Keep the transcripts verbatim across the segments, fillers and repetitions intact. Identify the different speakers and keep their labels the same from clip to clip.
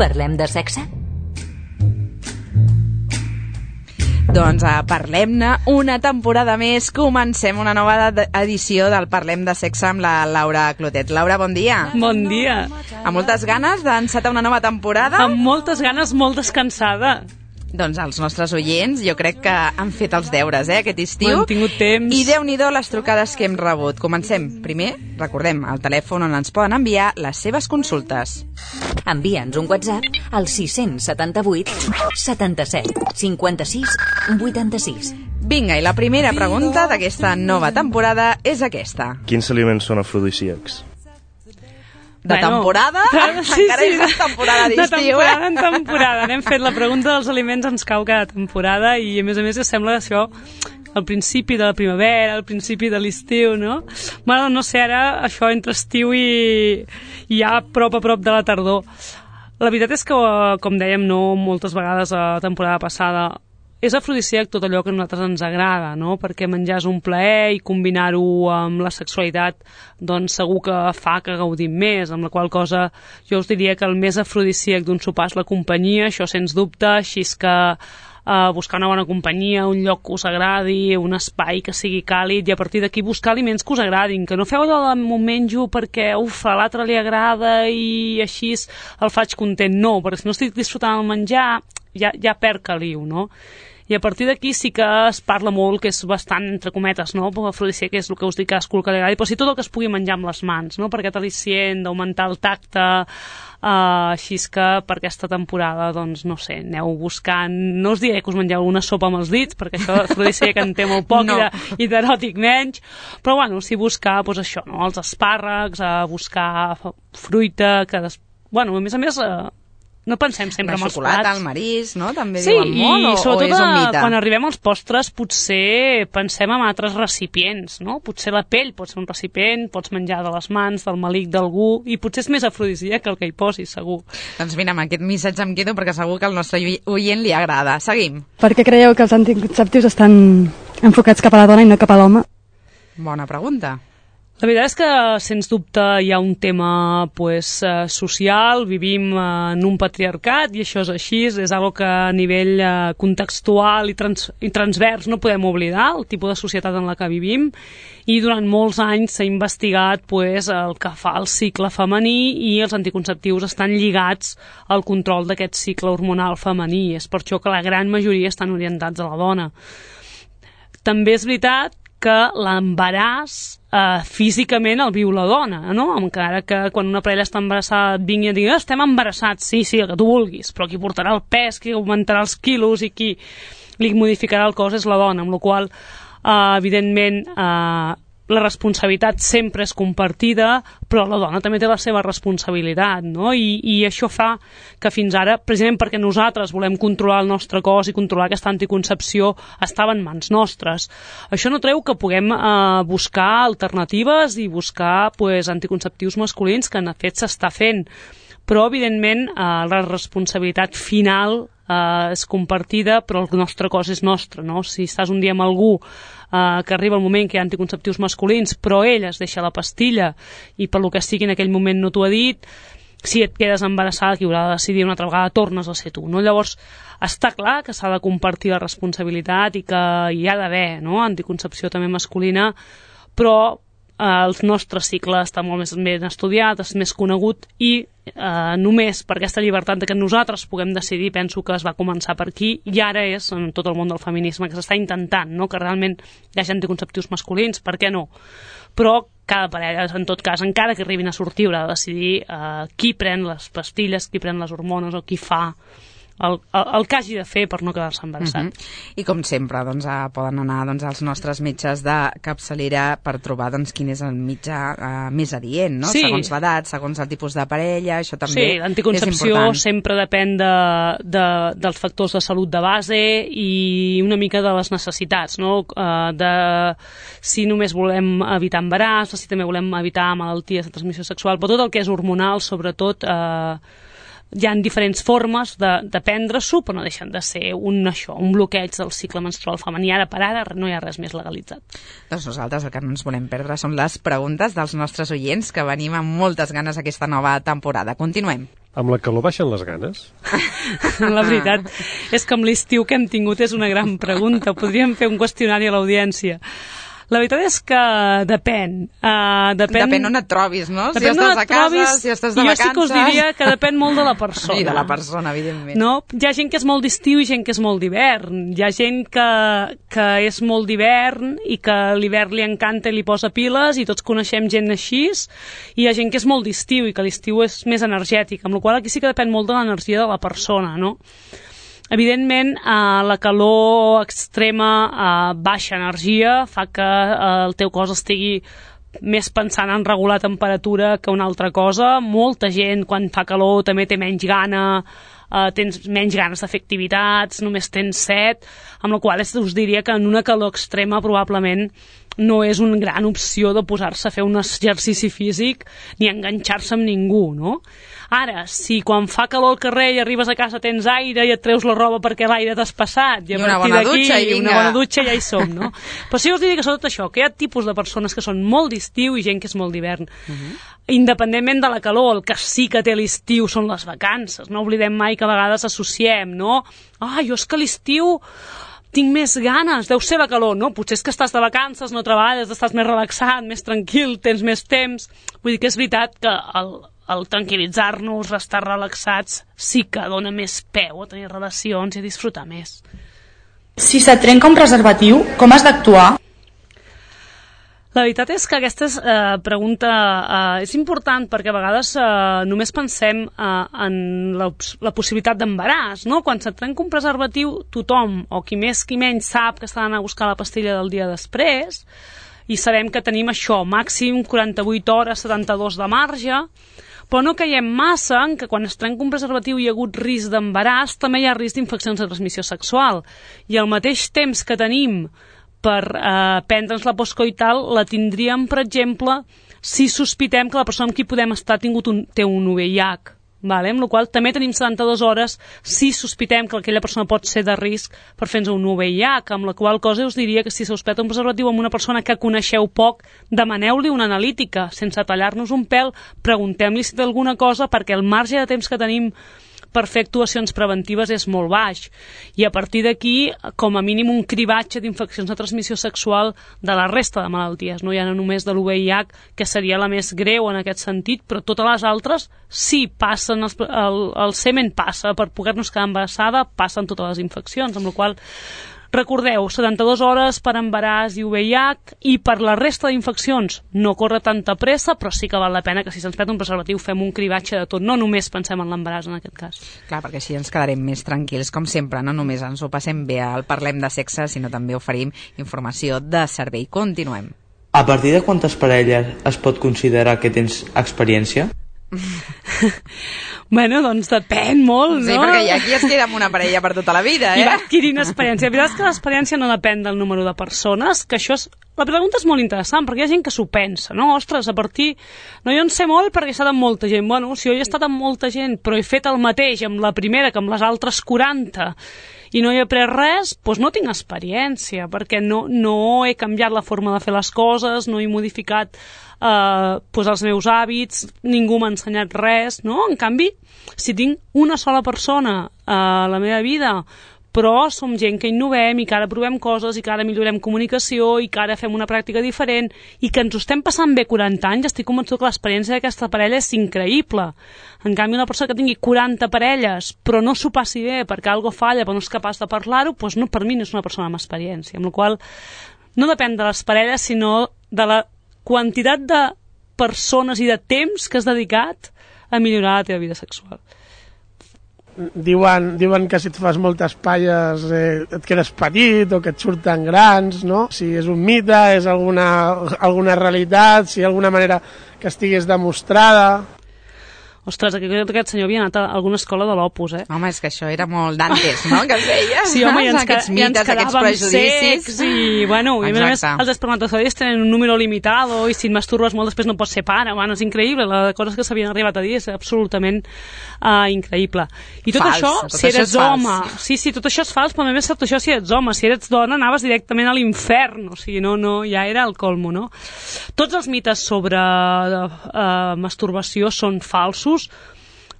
Speaker 1: Parlem de sexe?
Speaker 2: Doncs uh, parlem-ne una temporada més. Comencem una nova edició del Parlem de sexe amb la Laura Clotet. Laura, bon dia.
Speaker 3: Bon dia.
Speaker 2: Amb moltes ganes d'encetar una nova temporada?
Speaker 3: Amb moltes ganes, molt descansada.
Speaker 2: Doncs els nostres oients jo crec que han fet els deures, eh, aquest estiu.
Speaker 3: Han tingut temps.
Speaker 2: I Déu-n'hi-do les trucades que hem rebut. Comencem. Primer, recordem, el telèfon on ens poden enviar les seves consultes.
Speaker 1: Envia'ns un WhatsApp al sis setanta vuit setanta-set cinquanta-sis vuitanta-sis.
Speaker 2: Vinga, i la primera pregunta d'aquesta nova temporada és aquesta.
Speaker 4: Quins aliments són afrodisíacs?
Speaker 2: De
Speaker 3: bueno,
Speaker 2: temporada?
Speaker 3: Sí,
Speaker 2: Encara
Speaker 3: sí,
Speaker 2: és de temporada d'estiu,
Speaker 3: de temporada
Speaker 2: eh?
Speaker 3: en temporada. N'hem fet la pregunta dels aliments, ens cau cada temporada i a més a més sembla això al principi de la primavera, al principi de l'estiu, no? Bueno, no sé, ara això entre estiu i, i ja a prop a prop de la tardor. La veritat és que, com dèiem, no moltes vegades a la temporada passada, és afrodisíac tot allò que a nosaltres ens agrada, no? Perquè menjar és un plaer i combinar-ho amb la sexualitat doncs segur que fa que gaudim més, amb la qual cosa jo us diria que el més afrodisíac d'un sopar és la companyia, això sens dubte, així és que Uh, buscar una bona companyia, un lloc que us agradi, un espai que sigui càlid i a partir d'aquí buscar aliments que us agradin, que no feu allò de m'ho menjo perquè uf, a l'altre li agrada i així el faig content, no, perquè si no estic disfrutant el menjar ja, ja perd caliu, no? I a partir d'aquí sí que es parla molt, que és bastant, entre cometes, no? Afrodisíac, que és el que us dic, cadascú que li agradi, però sí tot el que es pugui menjar amb les mans, no? Per aquest al·licient d'augmentar el tacte, uh, així és que per aquesta temporada, doncs, no sé, aneu buscant, no us diré que us mengeu una sopa amb els dits, perquè això d'afrodisíac en té molt poc no. i d'eròtic menys, però bueno, sí buscar, doncs això, no? Els espàrrecs, uh, buscar fruita, que, des... bueno, a més a més... Uh, no pensem sempre en els plats.
Speaker 2: La xocolata, el marís, no? També
Speaker 3: sí,
Speaker 2: diuen molt, o, o és un mite?
Speaker 3: Quan arribem als postres potser pensem en altres recipients, no? Potser la pell pot ser un recipient, pots menjar de les mans, del melic d'algú, i potser és més afrodisíac que el que hi posis, segur.
Speaker 2: Doncs mira, amb aquest missatge em quedo perquè segur que al nostre oient li agrada. Seguim.
Speaker 5: Per què creieu que els anticonceptius estan enfocats cap a la dona i no cap a l'home?
Speaker 2: Bona pregunta.
Speaker 3: La veritat és que, sens dubte, hi ha un tema pues, eh, social, vivim eh, en un patriarcat i això és així, és algo que a nivell eh, contextual i, trans, i transvers no podem oblidar, el tipus de societat en la que vivim, i durant molts anys s'ha investigat pues, el que fa el cicle femení i els anticonceptius estan lligats al control d'aquest cicle hormonal femení, és per això que la gran majoria estan orientats a la dona. També és veritat que l'embaràs eh, físicament el viu la dona, no? Encara que quan una parella està embarassada et vingui a dir estem embarassats, sí, sí, el que tu vulguis, però qui portarà el pes, qui augmentarà els quilos i qui li modificarà el cos és la dona, amb la qual eh, evidentment eh, la responsabilitat sempre és compartida, però la dona també té la seva responsabilitat, no? I, i això fa que fins ara, precisament perquè nosaltres volem controlar el nostre cos i controlar aquesta anticoncepció, estava en mans nostres. Això no treu que puguem eh, buscar alternatives i buscar pues, anticonceptius masculins, que en fet s'està fent, però evidentment eh, la responsabilitat final eh, és compartida, però el nostre cos és nostre, no? Si estàs un dia amb algú Uh, que arriba el moment que hi ha anticonceptius masculins però ell es deixa la pastilla i per lo que sigui en aquell moment no t'ho ha dit, si et quedes embarassada qui haurà de decidir una altra vegada tornes a ser tu, no? Llavors està clar que s'ha de compartir la responsabilitat i que hi ha d'haver, no? Anticoncepció també masculina, però eh, el nostre cicle està molt més ben estudiat, és més conegut i eh, només per aquesta llibertat de que nosaltres puguem decidir, penso que es va començar per aquí i ara és en tot el món del feminisme que s'està intentant, no? Que realment hi hagi anticonceptius masculins, per què no? Però cada parella, en tot cas, encara que arribin a sortir, haurà de decidir eh, qui pren les pastilles, qui pren les hormones o qui fa el, el, el que hagi de fer per no quedar-se embarassat.
Speaker 2: Uh-huh. I com sempre, doncs, eh, poden anar doncs, als nostres metges de capçalera per trobar doncs, quin és el metge eh, més adient, no?
Speaker 3: Sí.
Speaker 2: Segons l'edat, segons el tipus de parella, això també
Speaker 3: sí,
Speaker 2: és important.
Speaker 3: l'anticoncepció sempre depèn de, de, dels factors de salut de base i una mica de les necessitats, no? Uh, de si només volem evitar embaràs, si també volem evitar malalties de transmissió sexual, però tot el que és hormonal, sobretot, eh, hi ha diferents formes de, de prendre-s'ho, però no deixen de ser un, això, un bloqueig del cicle menstrual femení. Ara per ara no hi ha res més legalitzat.
Speaker 2: Doncs nosaltres el que no ens volem perdre són les preguntes dels nostres oients, que venim amb moltes ganes aquesta nova temporada. Continuem.
Speaker 6: Amb la calor baixen les ganes?
Speaker 3: La veritat és que amb l'estiu que hem tingut és una gran pregunta. Podríem fer un qüestionari a l'audiència. La veritat és que depèn. Uh, depèn.
Speaker 2: Depèn on et trobis, no?
Speaker 3: Depèn
Speaker 2: si estàs a casa,
Speaker 3: trobis,
Speaker 2: si estàs de
Speaker 3: jo
Speaker 2: vacances...
Speaker 3: sí que us diria que depèn molt de la persona.
Speaker 2: I de la persona, evidentment.
Speaker 3: No? Hi ha gent que és molt d'estiu i gent que és molt d'hivern. Hi ha gent que, que és molt d'hivern i que l'hivern li encanta i li posa piles, i tots coneixem gent així, i hi ha gent que és molt d'estiu i que l'estiu és més energètic, amb la qual cosa aquí sí que depèn molt de l'energia de la persona, no? Evidentment, eh, la calor extrema, eh, baixa energia, fa que eh, el teu cos estigui més pensant en regular temperatura que una altra cosa. Molta gent, quan fa calor, també té menys gana, eh, tens menys ganes de fer activitats, només tens set, amb la qual cosa us diria que en una calor extrema probablement no és una gran opció de posar-se a fer un exercici físic ni enganxar-se amb ningú, no? Ara, si quan fa calor al carrer i arribes a casa tens aire i et treus la roba perquè l'aire t'has passat, i a
Speaker 2: I una
Speaker 3: partir
Speaker 2: bona
Speaker 3: d'aquí
Speaker 2: dutxa i vinga.
Speaker 3: una bona dutxa ja hi som, no? Però sí us diria que sobretot això, que hi ha tipus de persones que són molt d'estiu i gent que és molt d'hivern. Uh-huh. Independentment de la calor, el que sí que té l'estiu són les vacances. No oblidem mai que a vegades associem, no? Ah, jo és que l'estiu tinc més ganes, deu ser la calor, no? Potser és que estàs de vacances, no treballes, estàs més relaxat, més tranquil, tens més temps. Vull dir que és veritat que el, el tranquil·litzar-nos, estar relaxats, sí que dona més peu a tenir relacions i a disfrutar més.
Speaker 7: Si se't trenca un preservatiu, com has d'actuar?
Speaker 3: La veritat és que aquesta és, eh, pregunta eh, és important perquè a vegades eh, només pensem eh, en la, la possibilitat d'embaràs, no? Quan se't trenca un preservatiu, tothom, o qui més qui menys, sap que està anant a buscar la pastilla del dia després, i sabem que tenim això, màxim quaranta-vuit hores, setanta-dos de marge, però no caiem massa en que quan es trenca un preservatiu i hi ha hagut risc d'embaràs, també hi ha risc d'infeccions de transmissió sexual. I al mateix temps que tenim per eh, prendre'ns la postcoital, la tindríem, per exemple, si sospitem que la persona amb qui podem estar ha tingut un, té un U V I H. Vale? Amb la qual cosa també tenim setanta-dues hores si sospitem que aquella persona pot ser de risc per fer-nos un U V I H, amb la qual cosa us diria que si sospeta un preservatiu amb una persona que coneixeu poc, demaneu-li una analítica, sense tallar-nos un pèl, preguntem-li si té alguna cosa, perquè el marge de temps que tenim per fer actuacions preventives és molt baix, i a partir d'aquí com a mínim un cribatge d'infeccions de transmissió sexual de la resta de malalties, no hi ha només de l'U V I H, que seria la més greu en aquest sentit, però totes les altres sí passen, el, el, el semen passa, per poder-nos quedar embarassada passen totes les infeccions, amb la qual recordeu, setanta-dues hores per embaràs i U V I H, i per la resta d'infeccions no corre tanta pressa, però sí que val la pena que si se'ns perd un preservatiu fem un cribatge de tot, no només pensem en l'embaràs en aquest cas.
Speaker 2: Clar, perquè així ens quedarem més tranquils, com sempre, no només ens ho passem bé al Parlem de Sexe, sinó també oferim informació de servei. Continuem.
Speaker 8: A partir de quantes parelles es pot considerar que tens experiència?
Speaker 3: Bueno, doncs depèn molt, no?
Speaker 2: Sí, perquè hi ha qui es queda amb una parella per tota la vida, eh?
Speaker 3: I va adquirint experiència. La veritat és que l'experiència no depèn del número de persones, que això és... La pregunta és molt interessant, perquè hi ha gent que s'ho pensa, no? Ostres, a partir... No, jo en sé molt perquè he estat amb molta gent. Bueno, si jo he estat amb molta gent, però he fet el mateix amb la primera que amb les altres quaranta, i no he après res, doncs no tinc experiència, perquè no, no he canviat la forma de fer les coses, no he modificat eh, doncs els meus hàbits, ningú m'ha ensenyat res, no? En canvi, si tinc una sola persona a la meva vida, però som gent que innovem i que ara provem coses i que ara millorem comunicació i que ara fem una pràctica diferent i que ens ho estem passant bé quaranta anys, estic convençut que l'experiència d'aquesta parella és increïble. En canvi, una persona que tingui quaranta parelles però no s'ho passi bé perquè algo falla però no és capaç de parlar-ho, doncs no, per mi no és una persona amb experiència, amb la qual no depèn de les parelles sinó de la quantitat de persones i de temps que has dedicat a millorar la teva vida sexual.
Speaker 9: Diuen, diuen que si et fas moltes palles eh, et quedes petit o que et surten grans, no? Si és un mite, és alguna, alguna realitat, si hi ha alguna manera que estigués demostrada...
Speaker 3: Ostres, aquest, aquest senyor havia anat a alguna escola de l'Opus, eh?
Speaker 2: Home, és que això era molt d'antes, no?, que es deia.
Speaker 3: Sí, home, ja ens,
Speaker 2: aquests mites,
Speaker 3: ja ens
Speaker 2: aquests prejudicis.
Speaker 3: Secs i, bueno, i a més els espermatozoides tenen un número limitado i si et masturbes molt després no pots ser pare. Bueno, és increïble, les coses que s'havien arribat a dir és absolutament uh, increïble. I tot
Speaker 2: fals,
Speaker 3: això,
Speaker 2: tot
Speaker 3: si
Speaker 2: això
Speaker 3: eres home... Sí, sí, tot això és fals, però a més tot això si ets home. Si eres dona anaves directament a l'infern, o sigui, no, no, ja era el colmo, no? Tots els mites sobre uh, masturbació són falsos.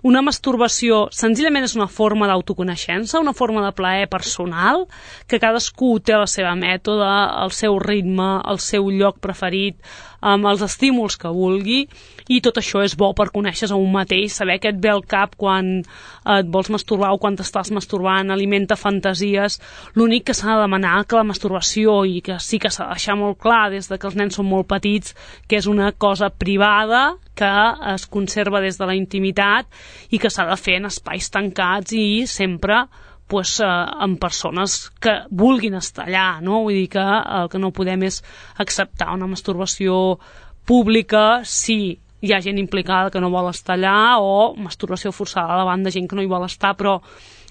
Speaker 3: una masturbació senzillament és una forma d'autoconeixença, una forma de plaer personal, que cadascú té la seva mètode, el seu ritme, el seu lloc preferit, amb els estímuls que vulgui, i tot això és bo per conèixer-se a un mateix, saber què et ve al cap quan et vols masturbar o quan t'estàs masturbant, alimenta fantasies. L'únic que s'ha de demanar que la masturbació, i que sí que s'ha de deixar molt clar des de que els nens són molt petits, que és una cosa privada, que es conserva des de la intimitat i que s'ha de fer en espais tancats i sempre pues, eh, amb persones que vulguin estar allà, no? Vull dir que el que no podem és acceptar una masturbació pública si hi ha gent implicada que no vol estar allà, o masturbació forçada davant de gent que no hi vol estar, però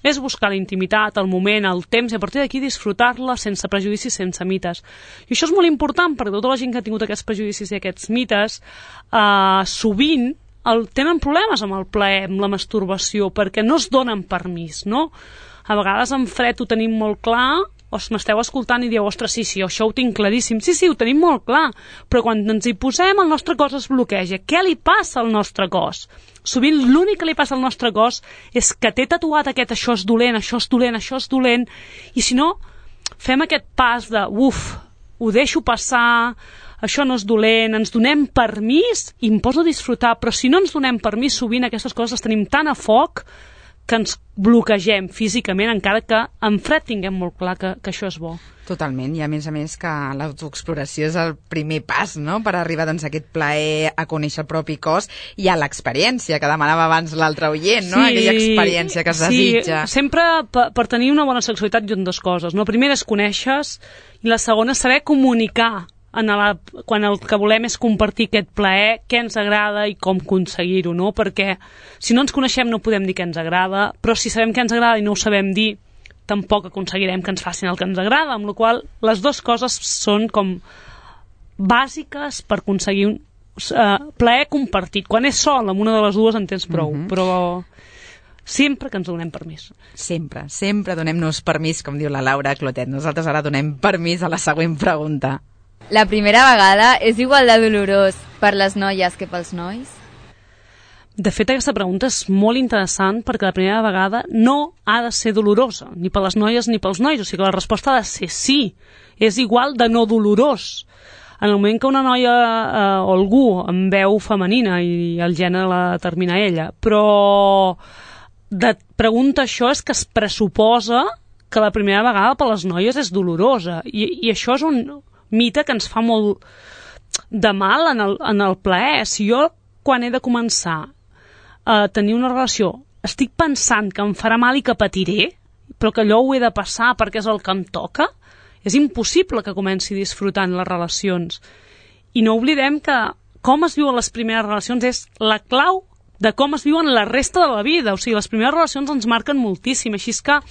Speaker 3: és buscar la intimitat, el moment, el temps, i a partir d'aquí disfrutar-la sense prejudicis, sense mites. I això és molt important, perquè tota la gent que ha tingut aquests prejudicis i aquests mites, eh, sovint el, tenen problemes amb el plaer, amb la masturbació, perquè no es donen permís, no? A vegades en fred ho tenim molt clar, o m'esteu escoltant i dieu, ostres, sí, sí, això ho tinc claríssim. Sí, sí, ho tenim molt clar, però quan ens hi posem el nostre cos es bloqueja. Què li passa al nostre cos? Sovint l'únic que li passa al nostre cos és que té tatuat aquest això és dolent, això és dolent, això és dolent, i si no, fem aquest pas de, uf, ho deixo passar, això no és dolent, ens donem permís i em poso a disfrutar, però si no ens donem permís, sovint aquestes coses les tenim tan a foc que ens bloquegem físicament, encara que en fred tinguem molt clar que, que això és bo.
Speaker 2: Totalment, i a més a més que l'autoexploració és el primer pas, no?, per arribar doncs, a aquest plaer, a conèixer el propi cos i a l'experiència, que demanava abans l'altre oient, no?,
Speaker 3: sí,
Speaker 2: aquella experiència que es
Speaker 3: sí,
Speaker 2: desitja.
Speaker 3: Sempre per, per tenir una bona sexualitat hi ha dues coses, no? La primera és conèixer, i la segona és saber comunicar, en la, quan el que volem és compartir aquest plaer, què ens agrada i com aconseguir-ho, no? Perquè si no ens coneixem no podem dir què ens agrada, però si sabem què ens agrada i no ho sabem dir, tampoc aconseguirem que ens facin el que ens agrada, amb la qual cosa les dues coses són com bàsiques per aconseguir un uh, plaer compartit. Quan és sol, amb una de les dues en tens prou, mm-hmm. però sempre que ens donem permís.
Speaker 2: Sempre, sempre donem-nos permís, com diu la Laura Clotet. Nosaltres ara donem permís a la següent pregunta.
Speaker 6: La primera vegada és igual de dolorós per les noies que pels nois?
Speaker 3: De fet, aquesta pregunta és molt interessant perquè la primera vegada no ha de ser dolorosa, ni per les noies ni pels nois. O sigui que la resposta ha de ser sí. És igual de no dolorós. En el moment que una noia eh, o algú em veu femenina i el gènere la determina ella, però de pregunta això és que es pressuposa que la primera vegada per les noies és dolorosa. I, i això és un mite que ens fa molt de mal en el, en el plaer. Si jo, quan he de començar a tenir una relació, estic pensant que em farà mal i que patiré, però que allò ho he de passar perquè és el que em toca, és impossible que comenci disfrutant les relacions. I no oblidem que com es viuen les primeres relacions és la clau de com es viuen la resta de la vida. O sigui, les primeres relacions ens marquen moltíssim, així és que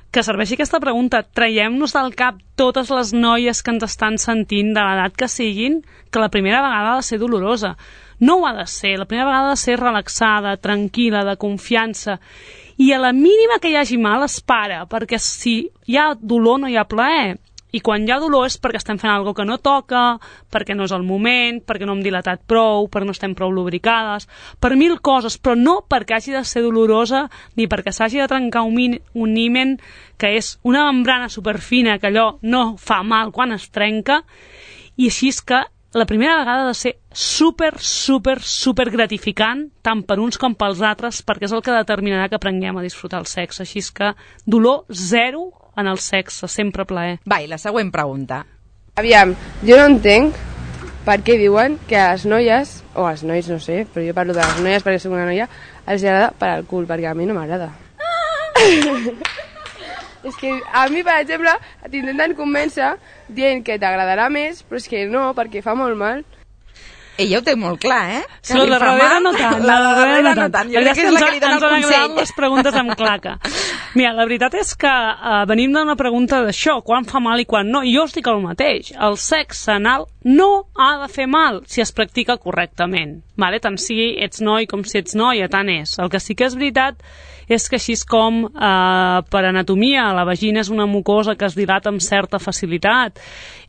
Speaker 3: que serveixi aquesta pregunta. Traiem-nos del cap totes les noies que ens estan sentint, de l'edat que siguin, que la primera vegada ha de ser dolorosa. No ho ha de ser. La primera vegada ha de ser relaxada, tranquil·la, de confiança. I a la mínima que hi hagi mal es para, perquè si hi ha dolor no hi ha plaer. I quan hi ha dolor és perquè estem fent alguna cosa que no toca, perquè no és el moment, perquè no hem dilatat prou, perquè no estem prou lubricades, per mil coses, però no perquè hagi de ser dolorosa ni perquè s'hagi de trencar un, min, un himen, que és una membrana superfina que allò no fa mal quan es trenca, i així és que la primera vegada ha de ser super, super, super gratificant, tant per uns com pels altres, perquè és el que determinarà que aprenguem a disfrutar el sexe. Així és que dolor zero en el sexe, sempre plaer.
Speaker 2: Va, i la següent pregunta.
Speaker 10: Aviam, jo no entenc per què diuen que a les noies, o als nois, no sé, però jo parlo de les noies perquè soc una noia, els agrada per al cul, perquè a mi no m'agrada. És que a mi, per exemple, t'intenten convèncer dient que t'agradarà més, però és que no, perquè fa molt mal.
Speaker 2: Ella ho té molt clar, eh?
Speaker 3: Sí, la de darrere no tant. La de darrere no tant.
Speaker 2: Jo crec que és la que li dona el consell.
Speaker 3: Ens han agradat les preguntes amb claca. Mira, la veritat és que uh, venim d'una pregunta d'això, quan fa mal i quan no, i jo us dic el mateix. El sexe anal no ha de fer mal si es practica correctament. Vale? Tant si ets noi com si ets noia, tant és. El que sí que és veritat és que així com eh, per anatomia la vagina és una mucosa que es dilata amb certa facilitat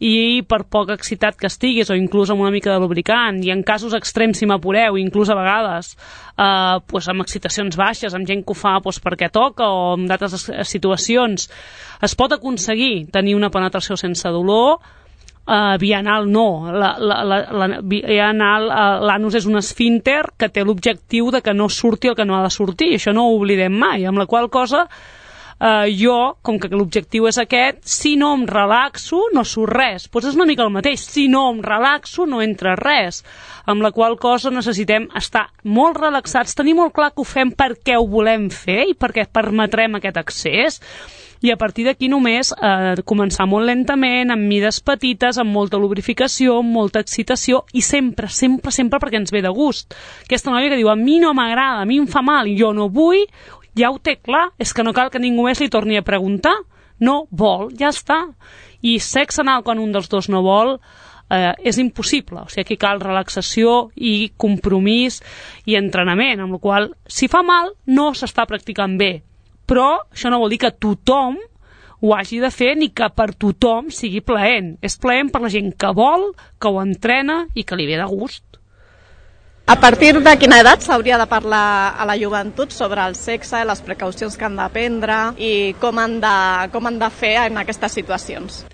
Speaker 3: i per poc excitat que estiguis o inclús amb una mica de lubricant, i en casos extrems si m'apureu, inclús a vegades eh, pues amb excitacions baixes, amb gent que ho fa pues, perquè toca o en d'altres situacions, es pot aconseguir tenir una penetració sense dolor. Uh, via anal no, la, la, la, la, via anal, uh, l'anus és un esfínter que té l'objectiu de que no surti el que no ha de sortir, i això no ho oblidem mai, amb la qual cosa uh, jo, com que l'objectiu és aquest, si no em relaxo no surt res, doncs és una mica el mateix, si no em relaxo no entra res, amb la qual cosa necessitem estar molt relaxats, tenir molt clar que ho fem perquè ho volem fer i perquè permetrem aquest accés, i a partir d'aquí només eh, començar molt lentament, amb mides petites, amb molta lubrificació, amb molta excitació, i sempre, sempre, sempre perquè ens ve de gust. Aquesta noia que diu, a mi no m'agrada, a mi em fa mal, i jo no vull, ja ho té clar, és que no cal que ningú més li torni a preguntar, no vol, ja està. I sexe anal quan un dels dos no vol, eh, és impossible, o sigui, aquí cal relaxació i compromís i entrenament, amb la qual cosa, si fa mal, no s'està practicant bé. Però això no vol dir que tothom ho hagi de fer ni que per tothom sigui plaent. És plaent per la gent que vol, que ho entrena i que li ve de gust.
Speaker 11: A partir de quina edat s'hauria de parlar a la joventut sobre el sexe, les precaucions que han de prendre i com han de, com han de fer en aquestes situacions?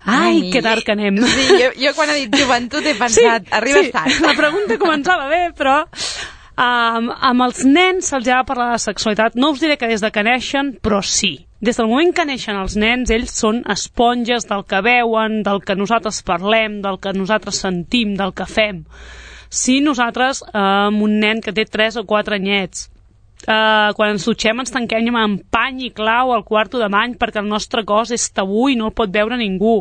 Speaker 3: Ai, Ai, que tard que anem.
Speaker 2: Sí, jo, jo quan he dit joventut he pensat, sí, arribes
Speaker 3: sí,
Speaker 2: tard.
Speaker 3: La pregunta començava bé, però... Um, amb els nens se'ls ha de parlar de sexualitat. No us diré que des de que neixen, però sí. Des del moment que neixen els nens, ells són esponges del que veuen, del que nosaltres parlem, del que nosaltres sentim, del que fem. Si nosaltres, eh, amb un nen que té tres o quatre anyets, eh, quan ens dutxem ens tanquem amb pany i clau al quarto de bany perquè el nostre cos és tabú i no el pot veure ningú.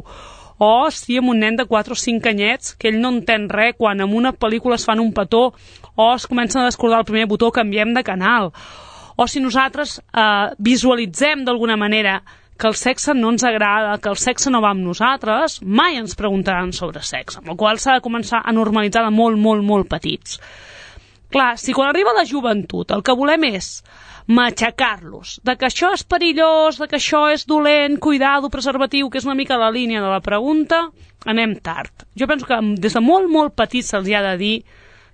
Speaker 3: O si amb un nen de quatre o cinc anyets, que ell no entén res, quan en una pel·lícula es fan un petó o es comencen a descordar el primer botó, canviem de canal. O si nosaltres eh, visualitzem d'alguna manera que el sexe no ens agrada, que el sexe no va amb nosaltres, mai ens preguntaran sobre sexe, amb la qual s'ha de començar a normalitzar de molt, molt, molt petits. Clar, si quan arriba la joventut el que volem és matxacar-los, de que això és perillós, de que això és dolent, cuidado, preservatiu, que és una mica la línia de la pregunta, anem tard. Jo penso que des de molt, molt petits se'ls ha de dir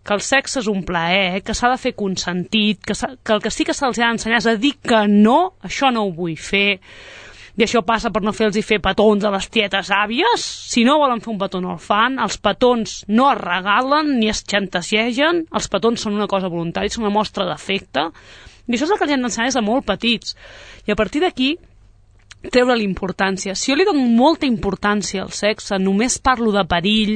Speaker 3: que el sexe és un plaer, que s'ha de fer consentit, que, que el que sí que se'ls ha d'ensenyar és a dir que no, això no ho vull fer, i això passa per no fer-los fer petons a les tietes àvies. Si no volen fer un petó no el fan, els petons no es regalen ni es xantagegen, els petons són una cosa voluntària, són una mostra d'afecte, i això és el que els hem d'ensenyar des de molt petits, i a partir d'aquí treure l'importància. Si jo li dono molta importància al sexe, només parlo de perill,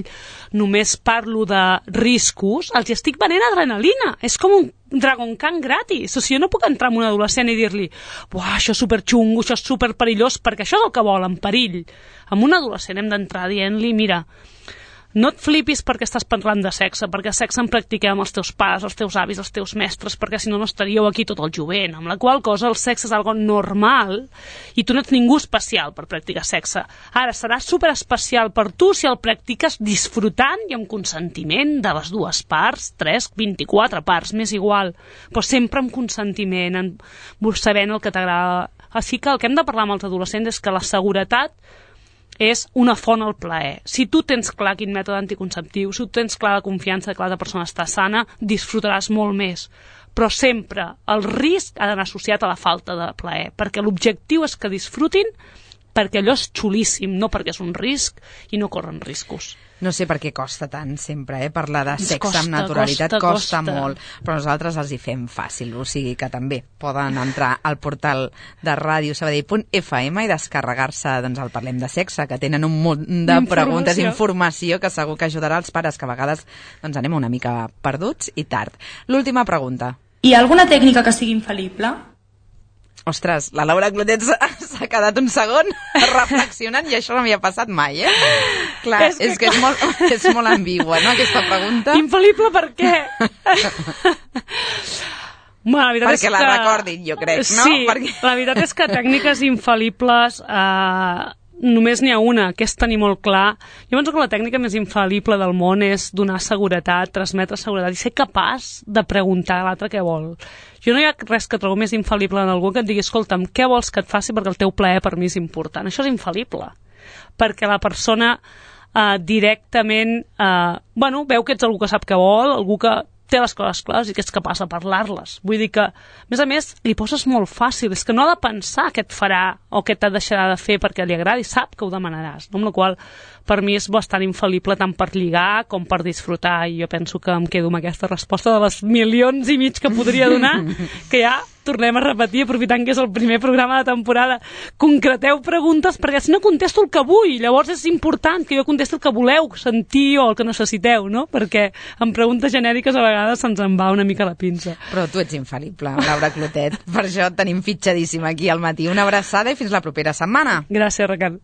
Speaker 3: només parlo de riscos, els estic venent adrenalina. És com un Dragon Khan gratis. O sigui, jo no puc entrar en un adolescent i dir-li buah, això és superxungo, això és superperillós, perquè això és el que volen, perill. Amb un adolescent hem d'entrar dient-li, mira, no et flipis perquè estàs parlant de sexe, perquè sexe en practiquem amb els teus pares, els teus avis, els teus mestres, perquè si no no estaríeu aquí tot el jovent, amb la qual cosa el sexe és algo normal i tu no ets ningú especial per practicar sexe. Ara, serà superespecial per tu si el practiques disfrutant i amb consentiment de les dues parts, tres, vint-i-quatre parts, m'és igual, però sempre amb consentiment, en, sabent el que t'agrada. Així que el que hem de parlar amb els adolescents és que la seguretat és una font al plaer. Si tu tens clar quin mètode anticonceptiu, si tu tens clar la confiança que la persona està sana, disfrutaràs molt més. Però sempre el risc ha d'anar associat a la falta de plaer, perquè l'objectiu és que disfrutin perquè allò és xulíssim, no perquè és un risc i no corren riscos.
Speaker 2: No sé per què costa tant sempre, eh? Parlar de sexe
Speaker 3: costa,
Speaker 2: amb naturalitat
Speaker 3: costa,
Speaker 2: costa,
Speaker 3: costa
Speaker 2: molt, però nosaltres els hi fem fàcil, o sigui que també poden entrar al portal de ràdio sabadell punt f m i descarregar-se doncs, el Parlem de Sexe, que tenen un munt de preguntes, informació que segur que ajudarà als pares, que a vegades doncs, anem una mica perduts i tard. L'última pregunta.
Speaker 7: Hi ha alguna tècnica que sigui infal·lible?
Speaker 2: Ostres, la Laura Clotet s'ha quedat un segon reflexionant i això no m'hi ha passat mai, eh? Clar, és que, és, que és, molt, és molt ambigua, no, aquesta pregunta.
Speaker 3: Infal·lible per què? Bueno, la veritat
Speaker 2: perquè
Speaker 3: és
Speaker 2: la
Speaker 3: que...
Speaker 2: recordin, jo crec, no?
Speaker 3: Sí,
Speaker 2: perquè...
Speaker 3: la veritat és que tècniques infal·libles... Eh... només n'hi ha una, que és tenir molt clar. Jo penso que la tècnica més infal·lible del món és donar seguretat, transmetre seguretat i ser capaç de preguntar a l'altre què vol. Jo no hi ha res que trobo més infal·lible en algú que et digui, escolta'm, què vols que et faci perquè el teu plaer per mi és important? Això és infal·lible, perquè la persona eh, directament eh, bueno, veu que ets algú que sap què vol, algú que té les coses clares i que ets capaç de parlar-les. Vull dir que, a més a més, li poses molt fàcil, és que no ha de pensar què et farà o què et deixarà de fer perquè li agradi, sap que ho demanaràs, no? Amb la qual per mi és bastant infal·lible tant per lligar com per disfrutar, i jo penso que em quedo amb aquesta resposta de les milions i mig que podria donar, que ja tornem a repetir, aprofitant que és el primer programa de temporada. Concreteu preguntes, perquè si no contesto el que vull, llavors és important que jo contesti el que voleu sentir o el que necessiteu, no? Perquè amb preguntes genèriques a vegades se'ns en va una mica la pinça.
Speaker 2: Però tu ets infal·lible, Laura Clotet. Per això et tenim fitxadíssima aquí al matí. Una abraçada i fins la propera setmana.
Speaker 3: Gràcies, Raquel.